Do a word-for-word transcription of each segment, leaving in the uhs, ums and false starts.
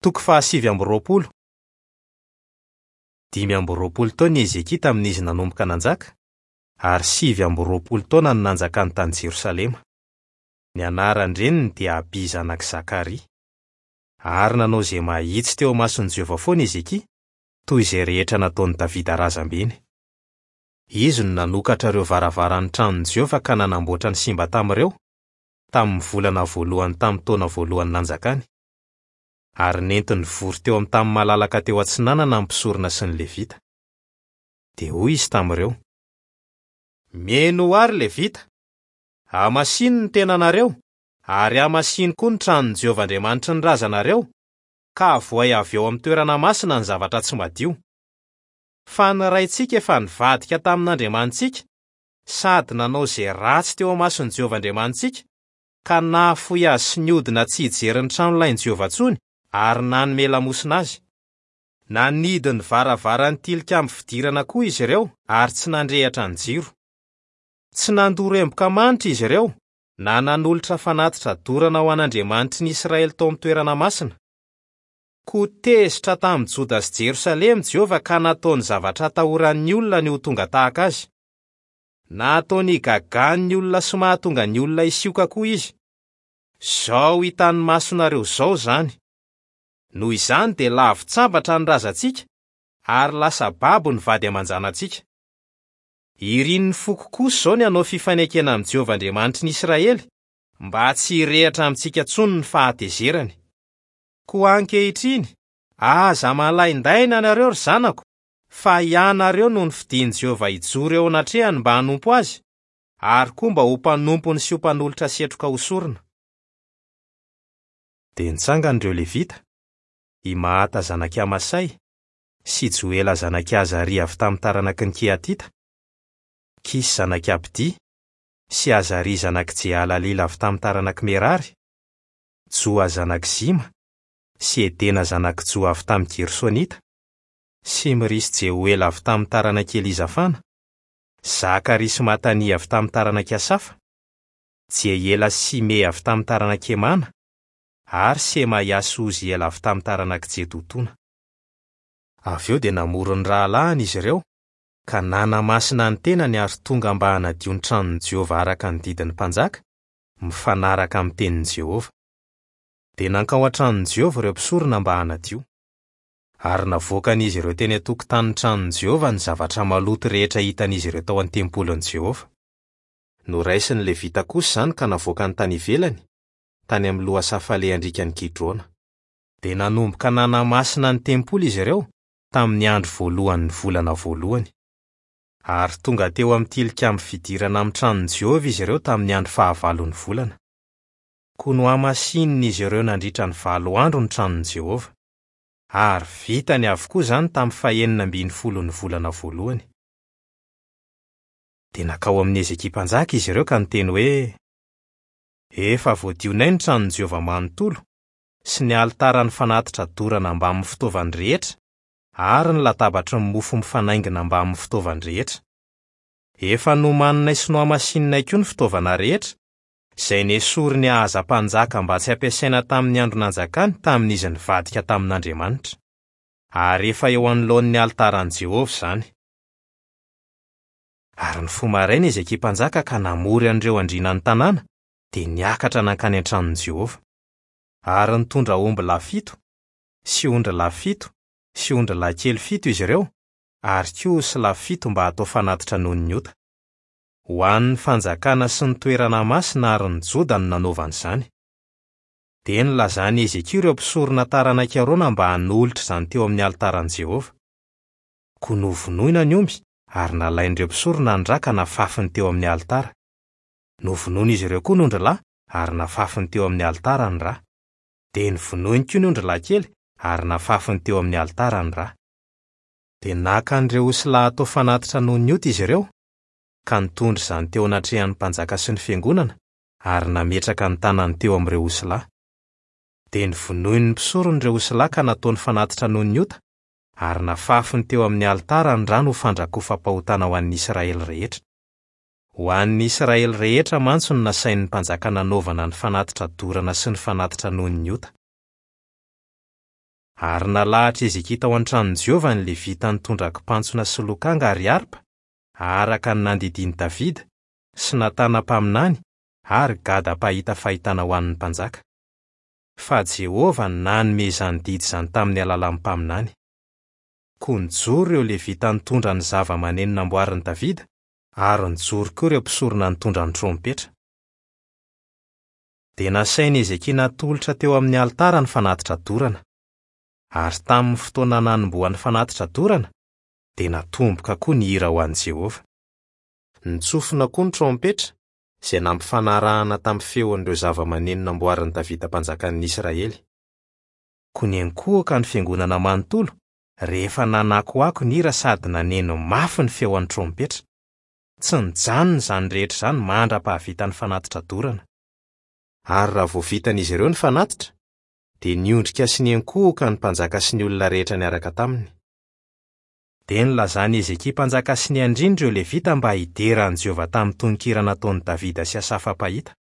Toko fahasivy amby roapolo. Dimy amby roapolo taona i Hezekia tamin'izy nanomboka nanjaka, ary sivy amby roapolo taona no nanjakany tany Jerosalema. Ny anaran-dreniny dia Abia zanak'i Zakaria. Ary nanao izay mahitsy teo imason'i Jehovah foana i Hezekia, toy izay rehetra nataon'i Davida razambeny. Izy no nanokatra ireo varavaran'ny tranon'i Jehovah ka nanamboatra ny simba tamin'ireo, tamin'ny volana voalohany tamin'ny taona voalohany nanjakany. Ary nentiny vory teo amin'ny tany malalaka teo atsinanana ny mpisorona sy ny Levita. Dia hoy izy tamin'ireo: Mihainoa àry Levita, hamasino ny tenanareo ary hamasino koa ny tranon'i Jehovah Andriamanitry ny razanareo, ka avoay avy eo amin'ny toerana masina ny zavatra tsy madio. Fa ny raintsika efa nivadika tamin'Andriamanitsika sady nanao izay ratsy teo imason'i Jehovah Andriamanitsika, ka nahafoy azy sy niodina tsy hijery ny tranolain'i Jehovah intsony ary nanome lamosina azy. Nanidy ny varavaran'ny tilikambo fidirana koa izy ireo ary tsy nandrehitra ny jiro. Tsy nandoro emboka manitra izy ireo na nanolotra fanatitra dorana ho an'Andriamanitry ny Israely tao amin'ny toerana masina. Koa tezitra tamin'i Joda sy Jerosalema Jehovah ka nataony zavatra atahoran'ny olona ny ho tonga tahaka azy. Nataony hagagan'ny olona sy mahatonga ny olona hisioka koa izy. Izao hitan'ny masonareo izao izany. Noho izany dia lavitsambatra ny razantsika ary lasa babo ny vady aman-janatsika. Irin'ny foko kosa izao ny hanao fifanekena amin'i Jehovah Andriamanitry ny Israely mba tsy hirehitra amintsika intsony ny fahatezerany. Koa ankehitriny, aza malaindaina ianareo ry zanako, fa ianareo no nofidin'i Jehovah hijoro eo anatrehany mba hanompo azy, ary koa mba ho mpanompony sy ho mpanolotra setroka ho sorona. Dia nitsangana ireo Levita, i Mahata zanak'i Amasay sy Joela zanak'i Azaria avy tamin'ny taranaky ny Kehatita, Kisy zanak'i Abdia sy Azaria zanak'i Jehalalila avy tamin'ny taranak'i Merary, Joa zanak'i Zima sy Edena zanak'i Joa avy tamin'ny Gersonita, Simri sy Jehoela avy tamin'ny taranak'i Elizafana, Zakaria sy Matania avy tamin'ny taranak'i Asafa, Jehiela sy Simea avy tamin'ny taranak'i Hemana, ary Semaia sy Oziela avy tamin'ny taranak'i Jedotona. Avy eo dia namory ny rahalahiny izy ireo, ka nanamasina ny tenany ary tonga mba hanadio ny tranon'i Jehovah araka ny didin'ny mpanjaka, mifanaraka amin'ny tenin'i Jehovah. Dia nankao an-tranon'i Jehovah ireo mpisorona mba hanadio. Ary navoakan'izy ireo teny an-tokotanin'ny tranon'i Jehovah ny zavatra maloto rehetra hitan'izy ireo tao an-tempolin'i Jehovah. Noraisin'ny Levita kosa izany ka navoakany tany ivelany, tany amin'ny lohasaha falehan-driakan'i Kidrona. Dia nanomboka nanamasina ny tempoly izy ireo tamin'ny andro voalohan'ny volana voalohany. Ary tonga teo amin'ny tilikambo fidirana amin'ny tranon'i Jehovah izy ireo tamin'ny andro fahavalon'ny volana. Koa nohamasinin'izy ireo nandritra ny valo andro ny tranon'i Jehovah. Ary vitany avokoa izany tamin'ny fahenina ambin'ny folon'ny volana voalohany. Dia nankao amin'i Hezekia mpanjaka izy ireo ka niteny hoe: Efa voadionay ny tranon'i Jehovah manontolo sy ny alitaran'ny fanatitra dorana mbamin'ny fitaovany rehetra ary ny latabatry ny mofo mifanaingina mbamin'ny fitaovany rehetra. Efa nomaninay sy nohamasininay koa ny fitaovana rehetra, izay nesorin'i Ahaza mpanjaka mba tsy hampiasaina tamin'ny andro nanjakany tamin'izy nivadika tamin'Andriamanitra. Ary efa eo anoloan'ny alitaran'i Jehovah izany. Ary nifoha maraina Hezekia mpanjaka ka namory an'ireo andriana ny tanàna, dia niakatra nankany an-tranon'i Jehovah. Ary nitondra omby lahy fito, sy ondry lahy fito, sy ondry lahy kely fito izy ireo, ary koa osy lahy fito mba hatao fanatitra noho ny ota. Ho an'ny fanjakana sy ny toerana masina ary ny Joda no nanaovany izany. Dia nilazan'i Hezekia ireo mpisorona taranak'i Arona mba hanolotra izany teo amin'ny alitaran'i Jehovah. Koa novonoina ny omby ary nalain'ireo mpisorona ny ra ka nafafiny teo amin'ny alitara. Novonoin'izy ireo koa ny ondrilahy ary nafafiny teo amin'ny alitara ny ra. Dia novonoiny koa ny ondrilahy kely ary nafafiny teo amin'ny alitara ny ra. Dia naka an'ireo osilahy hatao fanatitra noho ny ota izy ireo, ka nitondra izany teo anatrehan'ny mpanjaka sy ny fiangonana ary nametraka ny tanany teo amin'ireo osilahy. Dia novonoin'ny mpisorona ireo osilahy ka nataony fanatitra noho ny ota ary nafafiny teo amin'ny alitara ny rano ho fandrakofam-pahotana ho an'ny Israely rehetra. Ho an'ny Israely rehetra mantsy no nasain'ny mpanjaka nanaovana ny fanatitra dorana sy ny fanatitra noho ny ota. Ary nalahatr'i Hezekia tao an-tranon'i Jehovah ny Levita nitondra kipantsona sy lokanga ary harpa, araka ny nandidian'i Davida sy Natana mpaminany ary Gada mpahita fahitana ho an'ny mpanjaka. Fa Jehovah no nanome izany didy izany tamin'ny alalan'ny mpaminany. Koa nijoro ireo Levita nitondra ny zava-maneno namboarin'i Davida, ary nijoro koa ireo mpisorona nitondra ny trompetra. Dia nasain'i Hezekia natolotra teo amin'ny alitara ny fanatitra dorana. Ary tamin'ny fotoana nanombohan'ny fanatitra dorana, dia natomboka koa ny hira ho an'i Jehovah. Nitsofina koa ny trompetra, izay nampifanarahana tamin'ny feon'ireo zava-maneno namboarin'i Davida mpanjakan'ny Israely. Koa niankohoka ny fiangonana manontolo rehefa nanakoako ny hira sady naneno mafy ny feon'ny trompetra. Tsy nijanona izany rehetra izany mandra-pahavitan'ny fanatitra dorana. Ary raha vao vitan'izy ireo ny fanatitra, dia niondrika sy niankohoka ny mpanjaka sy ny olona rehetra niaraka taminy. Dia nilazan'i Hezekia mpanjaka sy ny andriana ireo Levita mba hidera an'i Jehovah tamin'ny tononkira nataon'i Davida sy Asafa mpahita.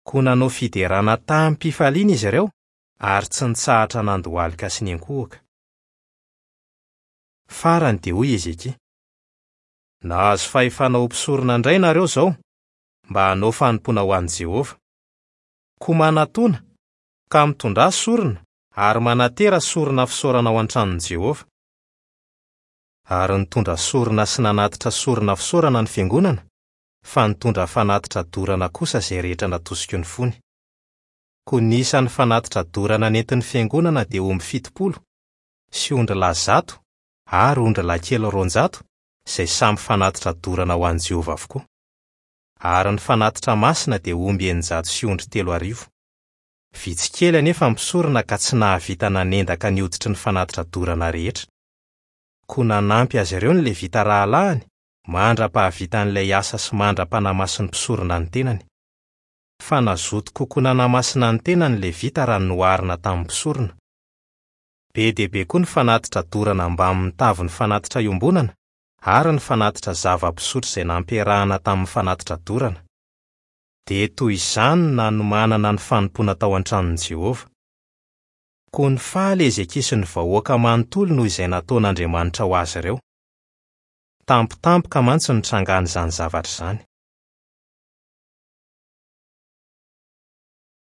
Koa nanao fiderana tamim-pifaliana izy ireo ary tsy nitsahatra nandohalika sy niankohoka. Farany dia hoy Hezekia: "Nahazo fahefana ho mpisorona indray nareo izao mba hanao fanompoana ho an'i Jehovah. Koa manatona ka mitondrà sorona ary manatera sorona fisaorana ao an-tranon'i Jehovah." Ary nitondra sorona sy nanatitra sorona fisaorana ny fiangonana, fa nitondra fanatitra dorana kosa izay rehetra natosiky ny fony. Koa ny isan'ny fanatitra dorana nentin'ny fiangonana dia omby fitopolo sy ondrilahy zato ary ondrilahy kely roanjato, izay samy fanatitra dorana ho an'i Jehovah avokoa. Ary ny fanatitra masina dia omby eninjato sy ondry telo arivo. Vitsy kely anefa ny mpisorona ka tsy nahavita nanendaka ny hoditry ny fanatitra dorana rehetra. Koa nanampy azy ireo ny Levita rahalahiny mandra-pahavitan'ilay asa sy mandra-panamasin'ny mpisorona ny tenany. Fa nazoto kokoa nanamasina ny tenany ny Levita raha noharina tamin'ny mpisorona. Be dia be koa ny fanatitra dorana mbamin'ny tavin'ny fanatitra iombonana ary ny fanatitra zava-pisotro izay nampiarahana tamin'ny fanatitra dorana. Dia toy izany no nanomanana ny fanompoana tao an-tranon'i Jehovah. Koa nifaly Hezekia sy ny vahoaka manontolo noho izay nataon'Andriamanitra ho azy ireo. Tampotampoka mantsy no nitrangan'izany zavatra izany.